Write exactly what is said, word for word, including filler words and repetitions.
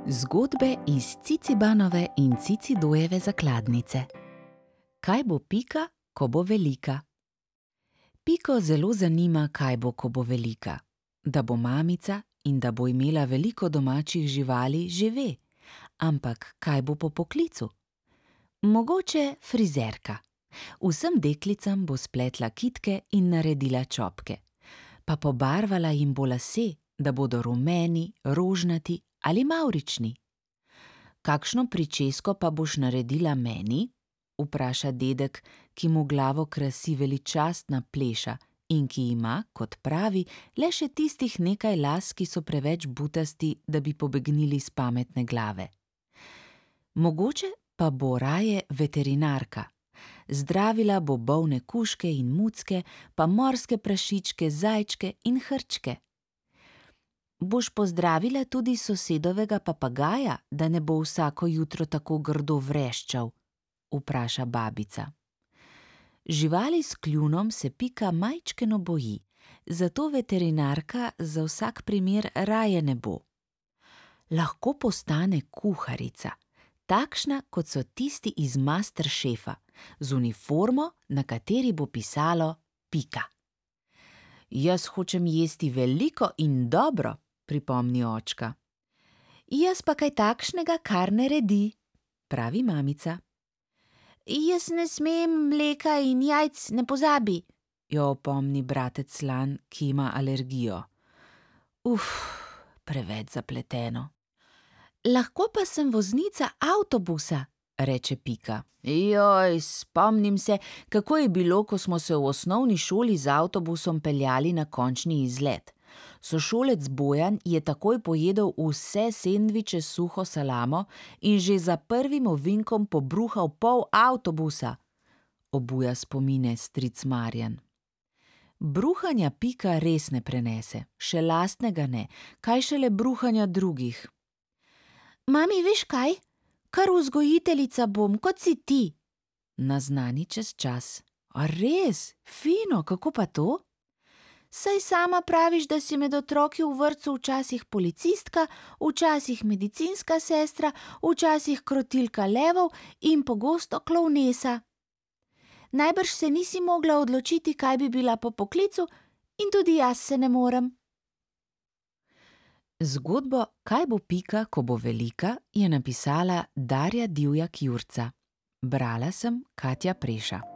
Zgodbe iz Cicibanove in Cicidojeve zakladnice. Kaj bo Pika, ko bo velika? Piko zelo zanima, kaj bo, ko bo velika. Da bo mamica in da bo imela veliko domačih živali, že ve. Ampak kaj bo po poklicu? Mogoče frizerka. Vsem deklicam bo spletla kitke in naredila čopke. Pa pobarvala jim bo lase, da bodo rumeni, rožnati ali mavrični. Kakšno pričesko pa boš naredila meni? Vpraša dedek, ki mu glavo krasi veličastna pleša in ki ima, kot pravi, le še tistih nekaj las, ki so preveč butasti, da bi pobegnili s pametne glave. Mogoče pa bo raje veterinarka. Zdravila bo bolne kužke in mucke, pa morske prašičke, zajčke in hrčke. Boš pozdravila tudi sosedovega papagaja, da ne bo vsako jutro tako grdo vreščal? Vpraša babica. Živali s kljunom se Pika majčkeno boji, zato veterinarka za vsak primer raje ne bo. Lahko postane kuharica, takšna, kot so tisti iz Masterchefa, z uniformo, na kateri bo pisalo Pika. Jaz hočem jesti veliko in dobro, pripomni očka. Jaz pa kaj takšnega, kar ne redi, pravi mamica. Jaz ne smem mleka in jajc, ne pozabi, jo opomni bratec Slan, ki ima alergijo. Uf, preveč zapleteno. Lahko pa sem voznica avtobusa, reče Pika. Joj, spomnim se, kako je bilo, ko smo se v osnovni šoli z avtobusom peljali na končni izlet. Sošolec Bojan je takoj pojedel vse sendviče s suho salamo in že za prvim ovinkom pobruhal pol avtobusa, obuja spomine stric Marjan. Bruhanja Pika res ne prenese, še lastnega ne, kaj šele bruhanja drugih. Mami, veš kaj? Kar vzgojiteljica bom, kot si ti, naznani čez čas. A res? Fino, kako pa to? Saj sama praviš, da si med otroki v vrtcu včasih policistka, včasih medicinska sestra, včasih krotilka levov in pogosto klovnesa. Najbrž se nisi mogla odločiti, kaj bi bila po poklicu, in tudi jaz se ne morem. Zgodbo Kaj bo Pika, ko bo velika, je napisala Darja Divjak Jurca. Brala sem Katja Preša.